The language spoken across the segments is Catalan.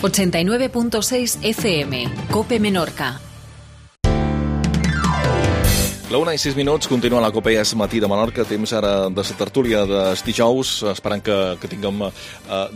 89.6 FM, COPE Menorca. La 1:06, continua la COPE és matí de Menorca, temps ara de la tertúlia dels dijous, esperant que tinguem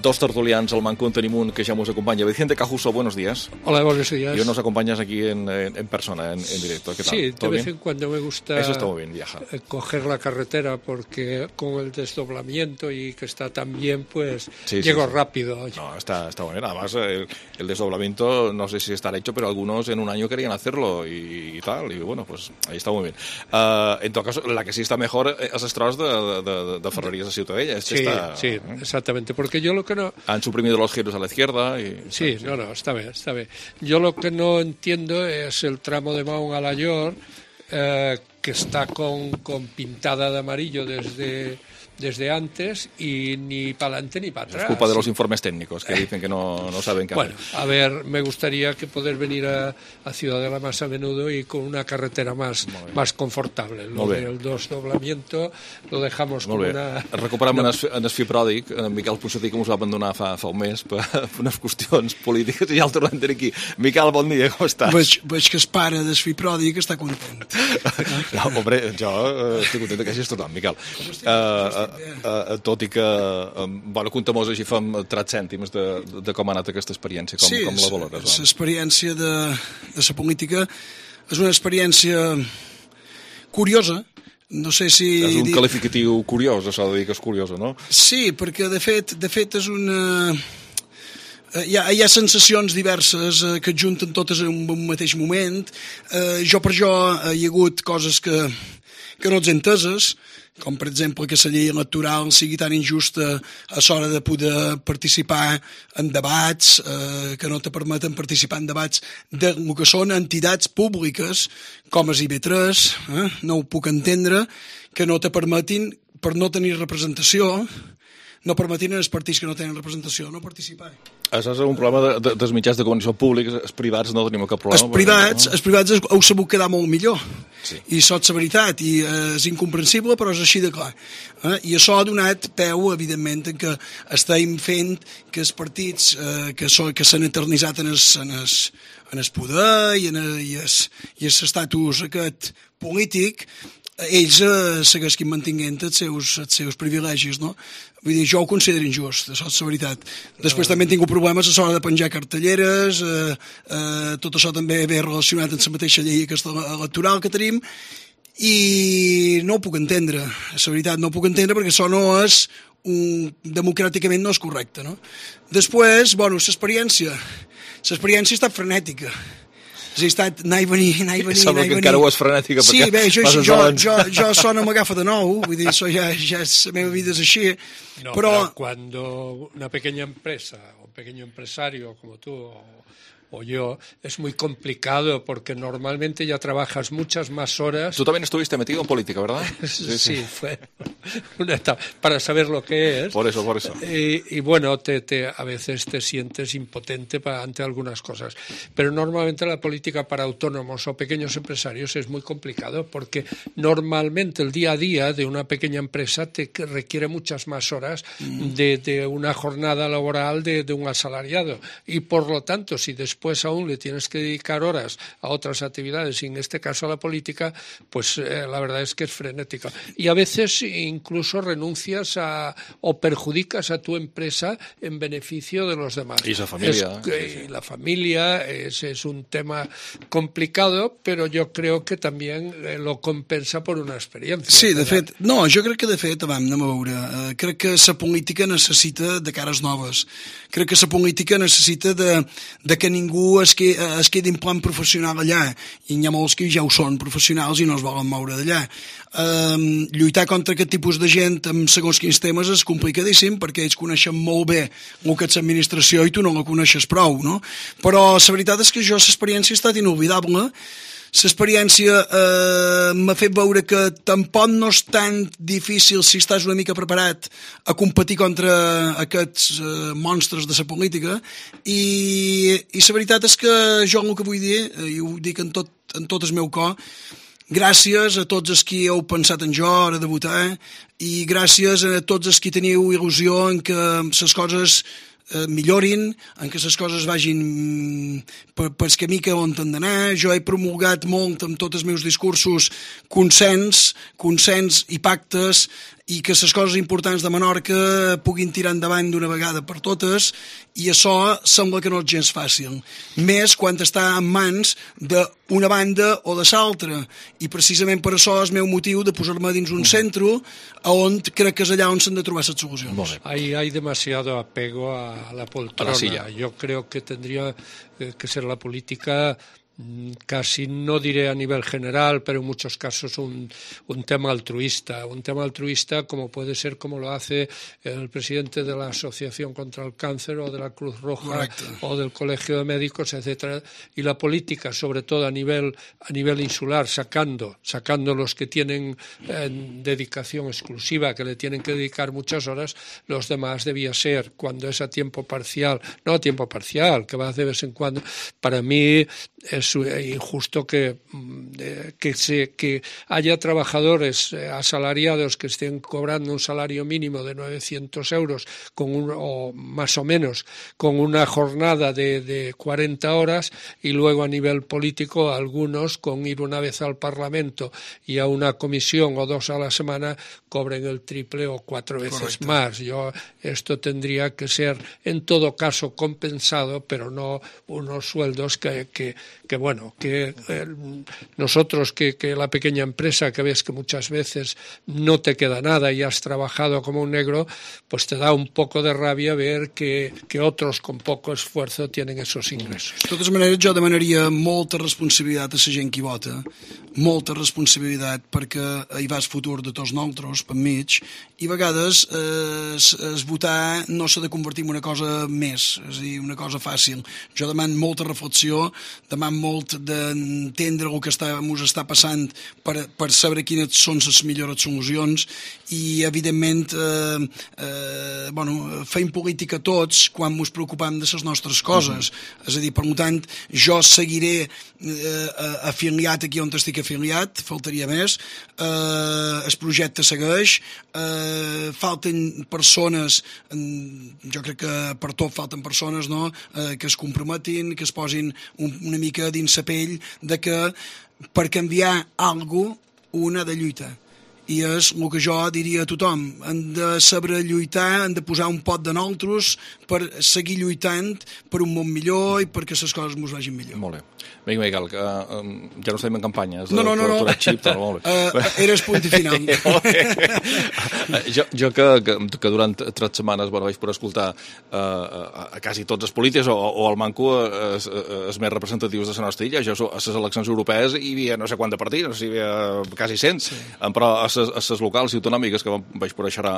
dos tertulians al manco. Tenim un que ja nos acompanya. Vicente Cajuso, buenos días. Hola, buenos días. Y hoy nos acompañas aquí en persona, en directo. ¿Qué tal? Sí, de vez en cuando me gusta Eso está muy bien, viaja. Coger la carretera porque con el desdoblamiento y que está tan bien, pues Sí, llego sí. rápido. No, está bueno. Además, el desdoblamiento, no sé si estará hecho, pero algunos en un año querían hacerlo y tal. Y bueno, pues ahí está muy bien. En todo caso, la que sí está mejor es els tros de Ferreries de Ciutadella. Sí, exactamente. Porque yo lo que no... Han suprimido los giros a la izquierda. Sí, no, está bien. Yo lo que no entiendo es el tramo de Mahón a la Llor, que está con pintada de amarillo desde antes y ni para adelante ni para atrás. Es culpa de los informes técnicos que dicen que no saben qué hacer. Bueno, a ver, me gustaría que poder venir a Ciudadela más a menudo y con una carretera más confortable. Lo del desdoblamiento lo dejamos com una... Recuperem en el fill pròdig, en Miquel Ponsatí, que ens va abandonar fa un mes per unes qüestions polítiques, i ja el tornem a tenir aquí. Miquel, bon dia, com estàs? Veig que el pare del fill pròdig està content. No, hombre, jo estic content que hagis tornat, Miquel. Tot i que, bueno, comptem-nos així, fem 3 cèntims de com ha anat aquesta experiència, com la valores? Sí, l'experiència de la política és una experiència curiosa. No sé si... És un qualificatiu curiós, això de dir que és curiosa, no? Sí, perquè de fet és una... Hi ha sensacions diverses que es junten totes en un mateix moment. Jo hi ha hagut coses que no ets enteses, com per exemple que la llei electoral sigui tan injusta a l'hora de poder participar en debats, que no te permeten participar en debats de lo que són entitats públiques com és IB3, no ho puc entendre, que no te permetin, per no tenir representació, no permetin als partits que no tenen representació no participar. Això és un problema dels mitjans de comunicació públics. Els privats no tenim cap problema. Els privats heu sabut quedar molt millor. Sí. I això és la veritat, i és incomprensible, però és així de clar. I això ha donat peu, evidentment, que estem fent que els partits que s'han eternitzat en el poder i l'estatus aquest polític, ells segueixin mantinguent els seus privilegis, no? Vull dir, jo ho considero injust, això és la veritat. Després també he tingut problemes a l'hora de penjar cartelleres, tot això també ve relacionat amb la mateixa llei aquesta electoral que tenim, i no ho puc entendre, la veritat, no ho puc entendre perquè això no és, democràticament no és correcte, no? Després, bueno, l'experiència ha estat frenètica. Ha estat anar i venir. Sembla que encara ho és frenètica. Sí, bé, jo sona m'agafa de nou, vull dir, això ja la meva vida és així. No, pero cuando una pequeña empresa o un pequeño empresario como tú o yo, es muy complicado porque normalmente ya trabajas muchas más horas. Tú también estuviste metido en política, ¿verdad? Sí, fue una etapa para saber lo que es. Por eso. Y bueno, a veces te sientes impotente ante algunas cosas. Pero normalmente la política para autónomos o pequeños empresarios es muy complicado porque normalmente el día a día de una pequeña empresa te requiere muchas más horas de una jornada laboral de un asalariado. Y por lo tanto, si después aún le tienes que dedicar horas a otras actividades, y en este caso a la política, pues la verdad es que es frenética. Y a veces incluso renuncias o perjudicas a tu empresa en beneficio de los demás. Y esa familia. Y la familia es un tema complicado, pero yo creo que también lo compensa por una experiencia. Sí, de fet, jo crec que de fet, anem a veure, crec que la política necessita de cares noves. Crec que la política necessita de que ningú es quedi en plan professional allà, i n'hi ha molts que ja ho són professionals i no es volen moure d'allà. Lluitar contra aquest tipus de gent amb segons quins temes és complicadíssim perquè ells coneixen molt bé el que és l'administració i tu no la coneixes prou, no? Però la veritat és que l'experiència ha estat inolvidable. L'experiència m'ha fet veure que tampoc no és tan difícil si estàs una mica preparat a competir contra aquests monstres de la política, i la veritat és que jo el que vull dir, i ho dic en tot el meu cor, gràcies a tots els qui heu pensat en jo a hora de votar, i gràcies a tots els qui teniu il·lusió en que les coses millorin, en què les coses vagin pel camí que on han d'anar. Jo he promulgat molt amb tots els meus discursos consens i pactes, i que les coses importants de Menorca puguin tirar endavant d'una vegada per totes, i això sembla que no és gens fàcil, més quan està en mans d'una banda o de l'altra, i precisament per això és el meu motiu de posar-me dins un centre on crec que és allà on s'han de trobar les solucions. Hay demasiado apego a la poltrona. Yo creo que tendría que ser la política casi, no diré a nivel general, pero en muchos casos un tema altruista como puede ser como lo hace el presidente de la Asociación contra el Cáncer o de la Cruz Roja. Correcto. O del Colegio de Médicos, etcétera, y la política, sobre todo a nivel insular, sacando los que tienen dedicación exclusiva, que le tienen que dedicar muchas horas. Los demás debía ser, cuando es a tiempo parcial, no a tiempo parcial, que va de vez en cuando. Para mí es injusto que haya trabajadores asalariados que estén cobrando un salario mínimo de 900 euros o más o menos con una jornada de 40 horas, y luego a nivel político algunos con ir una vez al Parlamento y a una comisión o 2 a la semana cobren el triple o 4 veces. Correcto. Más. Esto tendría que ser en todo caso compensado, pero no unos sueldos que nosotros, que la pequeña empresa, que ves que muchas veces no te queda nada y has trabajado como un negro, pues te da un poco de rabia ver que otros con poco esfuerzo tienen esos ingressos. De totes maneres, jo demanaria molta responsabilitat a la gent que vota, molta responsabilitat, perquè hi va el futur de tots nosaltres, per mig, i a vegades es votar no s'ha de convertir en una cosa més, és a dir, una cosa fàcil. Jo demano molta reflexió, demano molt d'entendre el que ens està passant per saber quines són les millors solucions, i evidentment fem política tots quan ens preocupem de les nostres coses. És a dir, per tant, jo seguiré afiliat aquí on estic afiliat, faltaria més, el projecte segueix, falten persones, jo crec que per tot falten persones, no?, que es comprometin, que es posin una mica dins la pell de que per canviar alguna cosa un ha de lluitar. I és el que jo diria a tothom: hem de saber lluitar, hem de posar un pot de nosaltres per seguir lluitant per un món millor i perquè les coses ens vagin millor. Molt bé. Vinga, Miquel, que ja no estem en campanya. No. Eres punt i final. Jo que durant 3 setmanes vaig poder escoltar a quasi tots els polítics o al manco els més representatius de la nostra illa. Jo a les eleccions europees hi havia no sé quants partits, no sé si hi havia quasi 100, però a les locals i autonòmiques, que vaig poder xerrar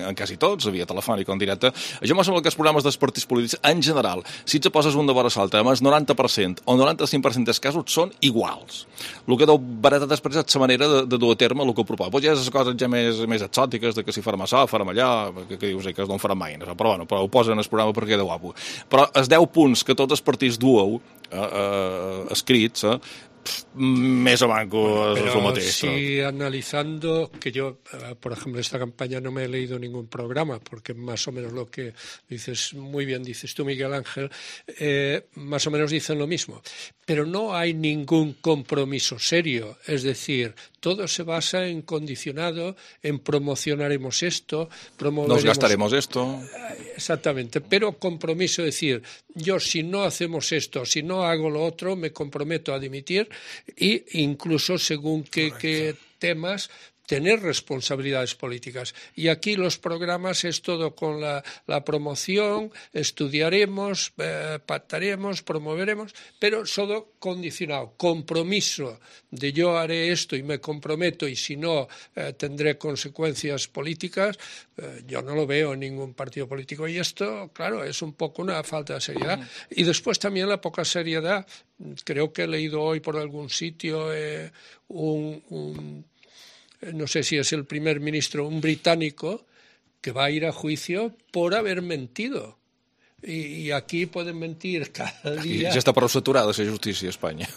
en quasi tots, via telefònic o en directe, jo m'ha semblat que els programes dels partits polítics, en general, si et poses un de vora l'altre, el 90% o 95% dels casos són iguals. El que deu baratar després és la manera de dur a terme el que proposa. Potser hi ha les coses ja més exòtiques, de que si farem això, farem allà, que dius que no en farem mai, però ho posen en el programa perquè queda guapo. Però els 10 punts que tots els partits dueu escrits, més o manco es lo mateix. Si analizando, que yo, por ejemplo, esta campaña no me he leído ningún programa, porque más o menos lo que dices, muy bien dices tú, Miguel Ángel, más o menos dicen lo mismo, pero no hay ningún compromiso serio, es decir, todo se basa en condicionado, en promocionaremos esto, promoveremos... Nos gastaremos esto. Exactamente, pero compromiso, es decir, yo si no hacemos esto, si no hago lo otro, me comprometo a dimitir, e incluso según qué temas tener responsabilidades políticas. Y aquí los programas es todo con la promoción, estudiaremos, pactaremos, promoveremos, pero solo condicionado. Compromiso de yo haré esto y me comprometo y si no tendré consecuencias políticas, yo no lo veo en ningún partido político. Y esto, claro, es un poco una falta de seriedad. Y después también la poca seriedad. Creo que he leído hoy por algún sitio no sé si es el primer ministro, un británico, que va a ir a juicio por haber mentido. Y aquí pueden mentir cada día. Ja està prou saturada la justícia a Espanya.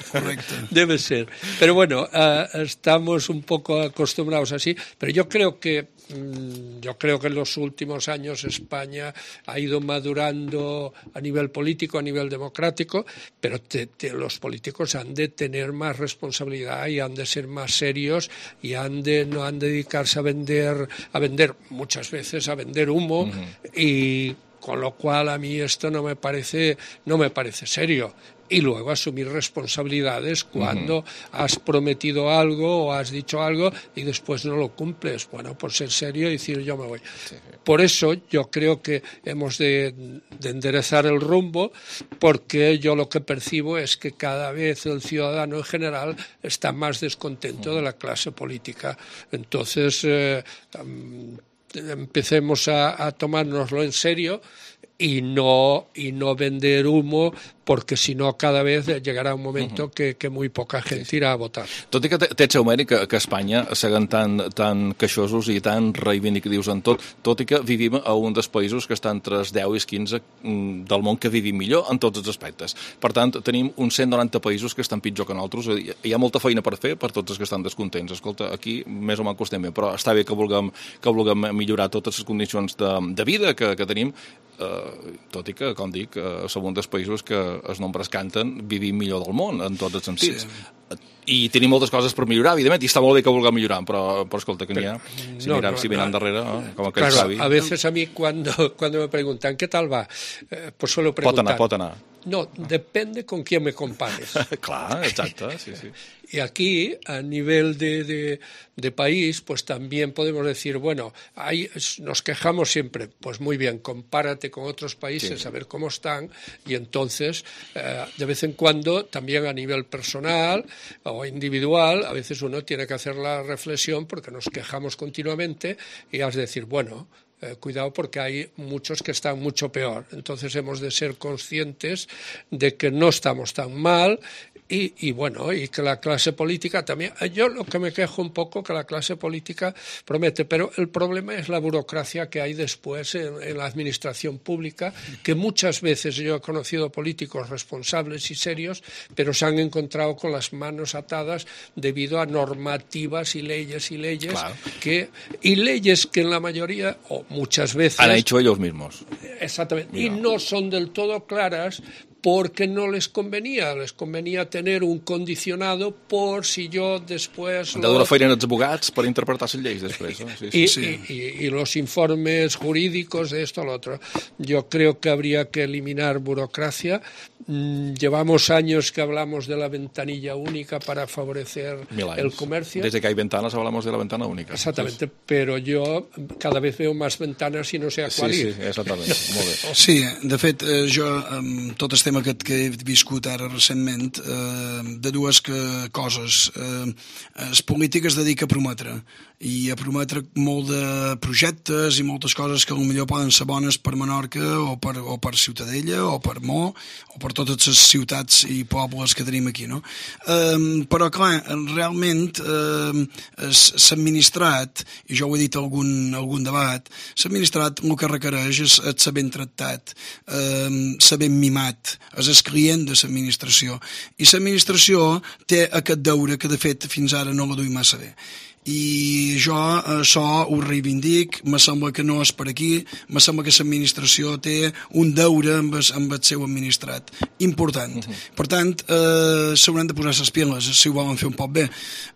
Correcto. Debe ser. Pero bueno, estamos un poco acostumbrados así. Pero yo creo que yo creo que en los últimos años España ha ido madurando a nivel político, a nivel democrático, pero los políticos han de tener más responsabilidad y han de ser más serios y no han de dedicarse a vender muchas veces a vender humo y con lo cual a mí esto no me parece serio. Y luego asumir responsabilidades cuando has prometido algo o has dicho algo y después no lo cumples. Bueno, por ser serio y decir yo me voy. Sí. Por eso yo creo que hemos de enderezar el rumbo, porque yo lo que percibo es que cada vez el ciudadano en general está más descontento de la clase política. Entonces empecemos a tomárnoslo en serio y no vender humo, perquè si no cada vez llegarà un moment que muy poca gent irà a votar. Tot i que té el seu mèrit que Espanya seguen tan queixosos i tan reivindicatius en tot i que vivim a un dels països que està entre els 10 i els 15 del món que vivim millor en tots els aspectes. Per tant, tenim uns 190 països que estan pitjor que nosaltres. Hi ha molta feina per fer per tots els que estan descontents. Escolta, aquí més o menys estem bé, però està bé que vulguem millorar totes les condicions de vida que tenim, tot i que, com dic, som un dels països que els nombres canten, vivim millor del món en tots els sentits. Sí. I tenim moltes coses per millorar, evidentment, i està molt bé que vulguem millorar, però escolta, que n'hi ha, si miran darrere, com aquell savi. A veces a mí cuando me preguntan ¿qué tal va? Pues suelo preguntar. Pot anar. No, depende con quién me compares. Clar, exacte, sí. Y aquí, a nivel de país, pues también podemos decir, bueno, nos quejamos siempre, pues muy bien, compárate con otros países, a ver cómo están, y entonces, de vez en cuando, también a nivel personal o individual, a veces uno tiene que hacer la reflexión porque nos quejamos continuamente y has de decir, bueno, cuidado porque hay muchos que están mucho peor. Entonces hemos de ser conscientes de que no estamos tan mal y bueno, y que la clase política también. Yo lo que me quejo un poco que la clase política promete, pero el problema es la burocracia que hay después en la administración pública, que muchas veces yo he conocido políticos responsables y serios, pero se han encontrado con las manos atadas debido a normativas y leyes claro. y leyes que en la mayoría o muchas veces han hecho ellos mismos. Exactamente. Mira. Y no son del todo claras porque no les convenía tener un condicionado por si yo después... Han de donar feina als abogats per interpretar les lleis després. Sí. Y los informes jurídicos de esto o lo otro. Yo creo que habría que eliminar burocracia. Llevamos años que hablamos de la ventanilla única para favorecer el comercio. Desde que hay ventanas hablamos de la ventana única. Exactamente, pero yo cada vez veo más ventanas y no sé a cuál ir. Sí, exactament. Molt bé. Sí, de fet, jo, tot el tema que he viscut ara recentment, de dues coses. Les polítiques es dedica a prometre, i a prometre molt de projectes i moltes coses que potser poden ser bones per Menorca o per Ciutadella o per Mo o per totes les ciutats i pobles que tenim aquí, no? Però clar, realment s'ha administrat, i jo ho he dit en algun debat, s'ha administrat el que requereix és ser ben tractat, ser ben mimat, és el client de l'administració, i l'administració té aquest deure que de fet fins ara no la duim massa bé. I jo això ho reivindic, me sembla que no és per aquí, me sembla que l'administració té un deure amb el seu administrat important. Per tant, s'hauran de posar les piles si ho volen fer un poc bé.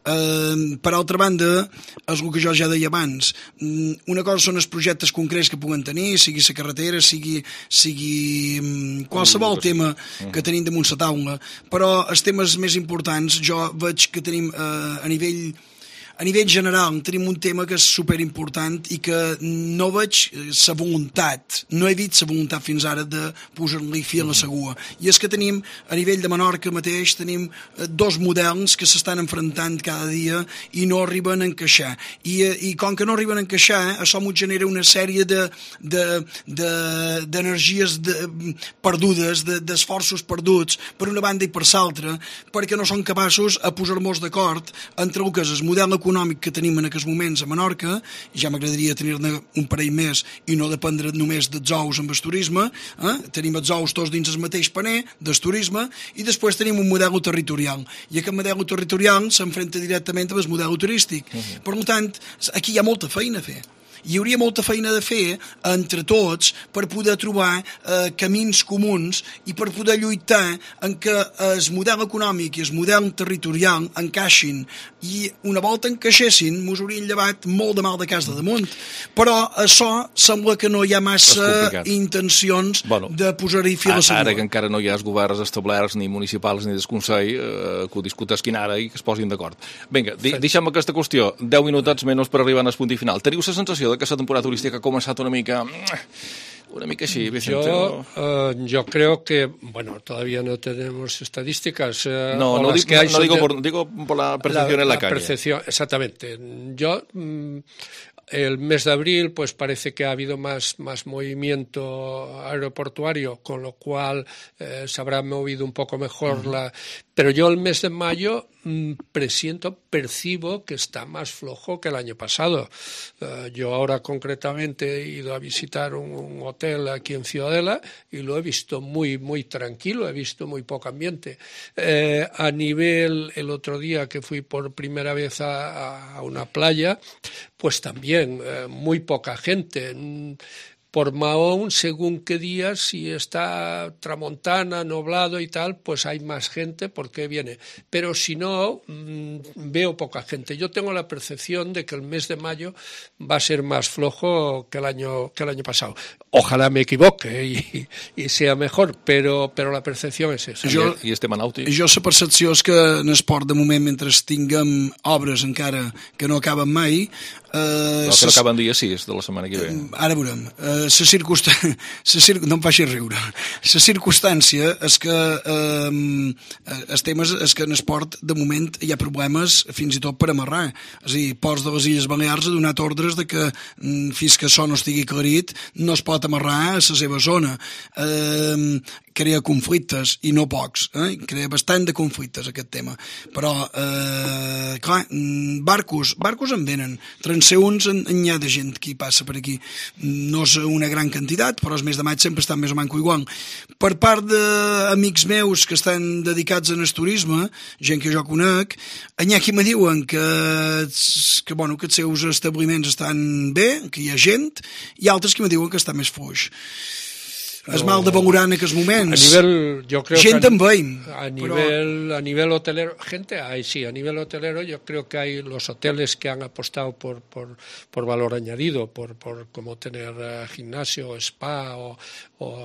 Per altra banda, és el que jo ja deia abans, una cosa són els projectes concrets que puguen tenir, sigui la carretera, sigui qualsevol tema que tenim damunt la taula, però els temes més importants jo veig que tenim a nivell general tenim un tema que és superimportant i que no veig la voluntat, no he vist la voluntat fins ara de posar-li fi a la segua. I és que tenim, a nivell de Menorca mateix, tenim dos models que s'estan enfrontant cada dia i no arriben a encaixar. I com que no arriben a encaixar, això ens genera una sèrie d'energies perdudes, d'esforços perduts, per una banda i per l'altra, perquè no són capaços a posar-nos d'acord entre el que és el model econòmic que tenim en aquests moments a Menorca, i ja m'agradaria tenir-ne un parell més i no dependre només dels ous amb el turisme, tenim els ous tots dins el mateix paner del turisme, i després tenim un model territorial, i aquest model territorial s'enfrenta directament amb el model turístic. Per tant, aquí hi ha molta feina a fer. hi hauria molta feina de fer entre tots per poder trobar camins comuns i per poder lluitar en que el model econòmic i el model territorial encaixin, i una volta encaixessin mos haurien llevat molt de mal de casa de damunt, però això sembla que no hi ha massa intencions de posar-hi fil a la Ara que encara no hi ha els governs establerts ni municipals ni del Consell, que ho discutesquin ara i que es posin d'acord. Vinga, deixem aquesta qüestió, 10 minutets menys per arribar al punt i final. Teniu la sensació que la temporada turística ha començat una mica así, Vicente? Yo creo que, bueno, todavía no tenemos estadísticas. Digo por la percepción en la calle. Percepción, exactamente. El mes de abril, pues parece que ha habido más movimiento aeroportuario, con lo cual se habrá movido un poco mejor Pero yo el mes de mayo percibo que está más flojo que el año pasado. Yo ahora concretamente he ido a visitar un hotel aquí en Ciudadela y lo he visto muy tranquilo, he visto muy poco ambiente. A nivel, el otro día que fui por primera vez a una playa, pues también muy poca gente. Por Mahón, según qué días, si está tramontana, nublado y tal, pues hay más gente porque viene. Pero si no, veo poca gente. Yo tengo la percepción de que el mes de mayo va a ser más flojo que el año pasado. Ojalá me equivoque y sea mejor, però la percepció és esa. I este Manauti? Jo la percepció és que en esport, de moment, mentre tinguem obres encara que no acaben mai... que no acaben dia 6 de la setmana que ve. Ara veurem. No em faci riure. La circumstància és que el tema és que en esport, de moment, hi ha problemes fins i tot per amarrar. És a dir, Ports de les Illes Balears ha donat ordres de que fins que això no estigui aclarit no es pot amarrar a la seva zona. Crea conflictes, i no pocs, crea bastant de conflictes aquest tema, però clar, barcos en venen, transeünts n'hi ha de gent que hi passa per aquí, no és una gran quantitat, però els mes de maig sempre estan més o manco igual. Per part d'amics meus que estan dedicats en el turisme, gent que jo conec, n'hi ha qui me diuen que els seus establiments estan bé, que hi ha gent, i altres que me diuen que està més fluix. Es mal de valorar en aquests moments. Gente en veiem. A nivel hotelero, gente hay, sí. A nivel hotelero yo creo que hay los hoteles que han apostado por valor añadido, por como tener gimnasio, spa o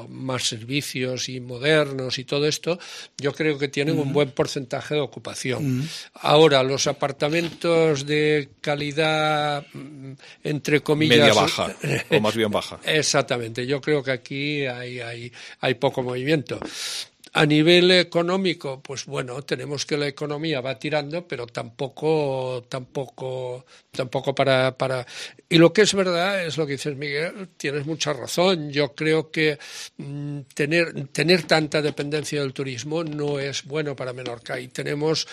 más servicios y modernos y todo esto. Yo creo que tienen un buen porcentaje de ocupación. Ahora, los apartamentos de calidad, entre comillas... Media baja, o más bien baja. Exactamente. Yo creo que aquí hay poco movimiento. A nivel económico, pues bueno, tenemos que la economía va tirando, pero tampoco para... Y lo que es verdad es lo que dices, Miguel, tienes mucha razón. Yo creo que tener tanta dependencia del turismo no es bueno para Menorca, y tenemos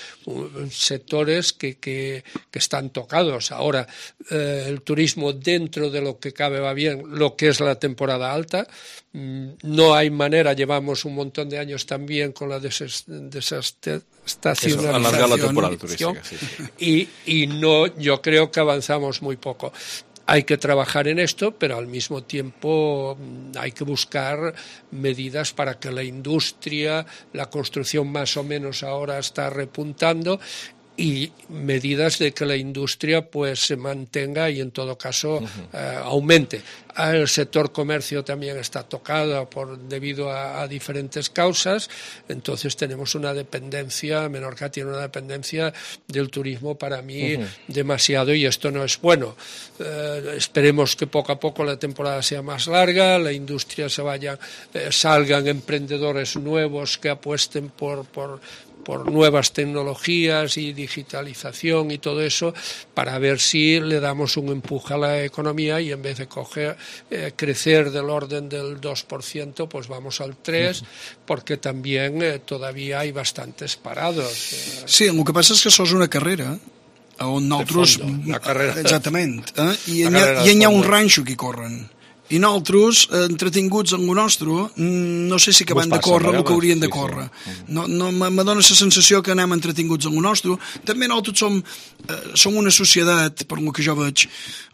sectores que están tocados. Ahora, el turismo dentro de lo que cabe va bien, lo que es la temporada alta. No hay manera, llevamos un montón de años también con la desestacionalización, alargar la temporada turística, sí. Y no, yo creo que avanzamos muy poco. Hay que trabajar en esto, pero al mismo tiempo hay que buscar medidas para que la industria, la construcción más o menos ahora está repuntando, y medidas de que la industria pues se mantenga y en todo caso aumente. El sector comercio también está tocado debido a diferentes causas, entonces tenemos una dependencia, Menorca tiene una dependencia del turismo para mí demasiado, y esto no es bueno. Esperemos que poco a poco la temporada sea más larga, la industria salgan emprendedores nuevos que apuesten por nuevas tecnologías y digitalización y todo eso, para ver si le damos un empuje a la economía, y en vez de crecer del orden del 2%, pues vamos al 3%, porque también todavía hay bastantes parados. Sí, el que passa és que això és una carrera on nosaltres... La carrera. Exactament. I hi ha un ranxo que corren. I nosaltres, entretinguts en el nostre, no sé si que van de córrer el que haurien de córrer. No, me dóna la sensació que anem entretinguts en el nostre. També nosaltres som una societat, per el que jo veig,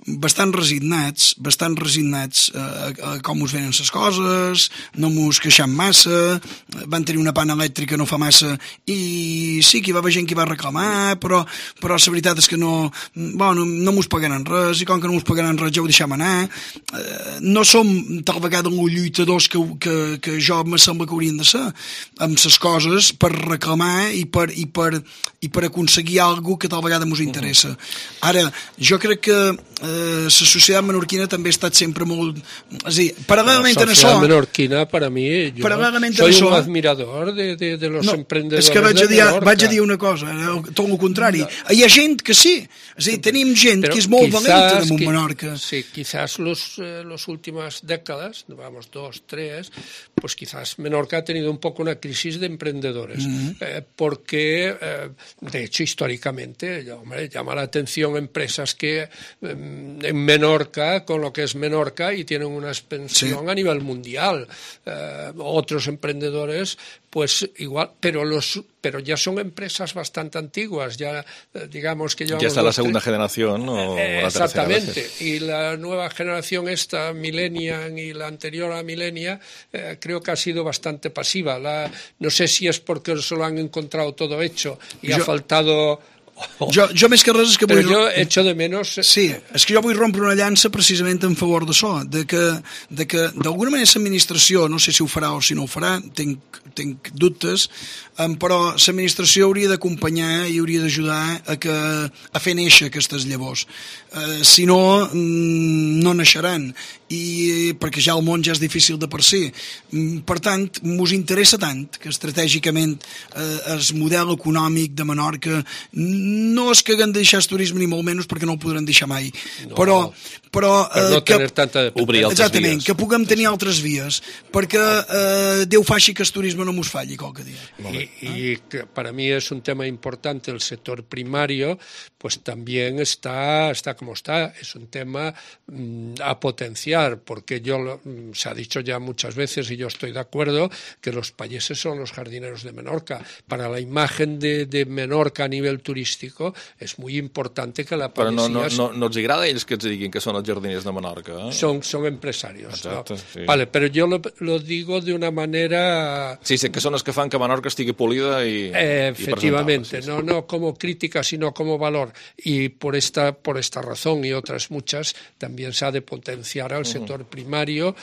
bastant resignats a com us venen les coses, no mos queixam massa, van tenir una pana elèctrica no fa massa i sí que hi va haver gent que va reclamar, però la veritat és que no mos pagaran res, i com que no mos pagaran res ja ho deixem anar. No som tal vegada els lluitadors que jo me sembla que haurien de ser amb les coses per reclamar i per aconseguir alguna que tal vegada mos interessa. Ara, jo crec que la societat menorquina també ha estat sempre molt... És a dir, paral·lelament a això... La societat menorquina, per a mi, jo soy un admirador de los emprendedores de Menorca. Vaig a dir una cosa, tot el contrari. Hi ha gent que sí, és a dir, tenim gent que és molt valenta damunt Menorca. Sí, quizás las últimas décadas, vamos, 2, 3, pues quizás Menorca ha tenido un poco una crisis de emprendedores, porque, de hecho, históricamente, hombre, llama la atención empresas que en Menorca, con lo que es Menorca, y tienen una expansión a nivel mundial. Otros emprendedores, pues igual, pero ya son empresas bastante antiguas, ya digamos que ya está la segunda generación o exactamente, la tercera. Y la nueva generación esta, Millennial, y la anterior a Millennial, creo que ha sido bastante pasiva. No sé si es porque se lo han encontrado todo hecho y ha faltado... Jo més que res és que vull... Però jo echo de menos... Sí, és que jo vull rompre una llança precisament en favor d'això, de que d'alguna manera l'administració, no sé si ho farà o si no ho farà, tinc dubtes, però l'administració hauria d'acompanyar i hauria d'ajudar a fer néixer aquestes llavors. Si no, no naixeran, perquè ja el món ja és difícil de per si. Per tant, mos interessa tant que estratègicament el model econòmic de Menorca no és que haguem de deixar el turisme ni molt menys perquè no el podran deixar mai, però no tenir tanta obrir altres exactament, vies. Que puguem tenir altres vies perquè Déu faci que el turisme no mos falli qualque dia. Y para mí es un tema importante el sector primario, pues también está como está, es un tema a potenciar, porque se ha dicho ya muchas veces y yo estoy de acuerdo que los payeses son los jardineros de Menorca. Para la imagen de Menorca a nivel turístico es muy importante que la payesia... Però no els agrada a ells que ens diguin que són els jardiners de Menorca? Son empresarios. Exacte, ¿no? Sí. Vale, pero yo lo digo de una manera... Sí, sé que són els que fan que Menorca estigui polida i efectivamente, sí. No como crítica, sino como valor. Y por esta razón y otras muchas, también se ha de potenciar al sector primario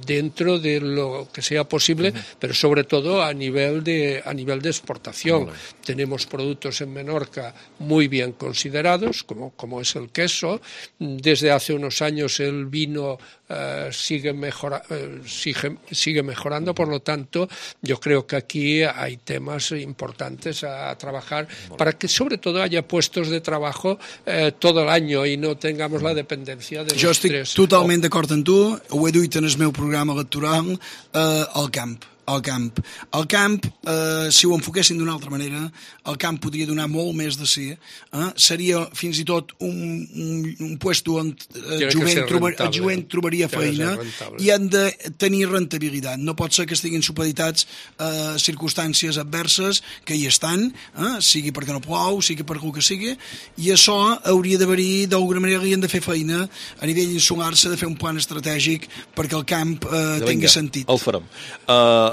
dentro de lo que sea posible, pero sobre todo a nivel de exportación. Tenemos productos en Menorca muy bien considerados, como es el queso. Desde hace unos años el vino sigue mejorando, por lo tanto, yo creo que aquí hay temas importantes a trabajar para que sobre todo haya puestos de trabajo todo el año y no tengamos la dependencia de jo estic totalment d'acord amb tu, ho he duit en el meu programa electoral, al camp. Al camp, si ho enfoquessin d'una altra manera, el camp podria donar molt més de si, seria fins i tot un puesto on el jovent trobaria feina i han de tenir rentabilitat. No pot ser que estiguin supeditats a circumstàncies adverses que hi estan, sigui perquè no plou, sigui per el que sigui, i això hauria d'haver-hi, d'alguna manera li han de fer feina a nivell insular, s'ha de fer un plan estratègic perquè el camp tingui sentit. El farem.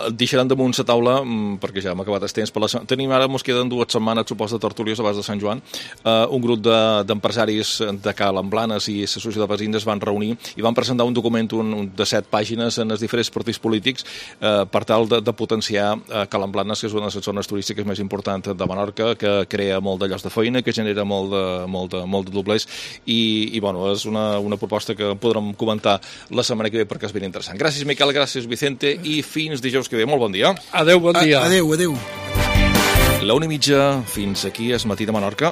Deixaran damunt la taula, perquè ja hem acabat el temps, tenim ara, ens queden 2 setmanes, suposo, de tertúlies abans de Sant Joan. Un grup d'empresaris de Cala Blanes i la Societat de Veïns es van reunir i van presentar un document de 7 pàgines en els diferents partits polítics per tal de potenciar Cala Blanes, que és una de les zones turístiques més importants de Menorca, que crea molt de llocs de feina, que genera molt de doblers i bueno, és una proposta que podrem comentar la setmana que ve perquè és ben interessant. Gràcies, Miquel, gràcies, Vicente, i fins dijous que ve. Molt bon dia. Adéu, bon dia. Adéu. La 1:30, fins aquí és Matí de Menorca.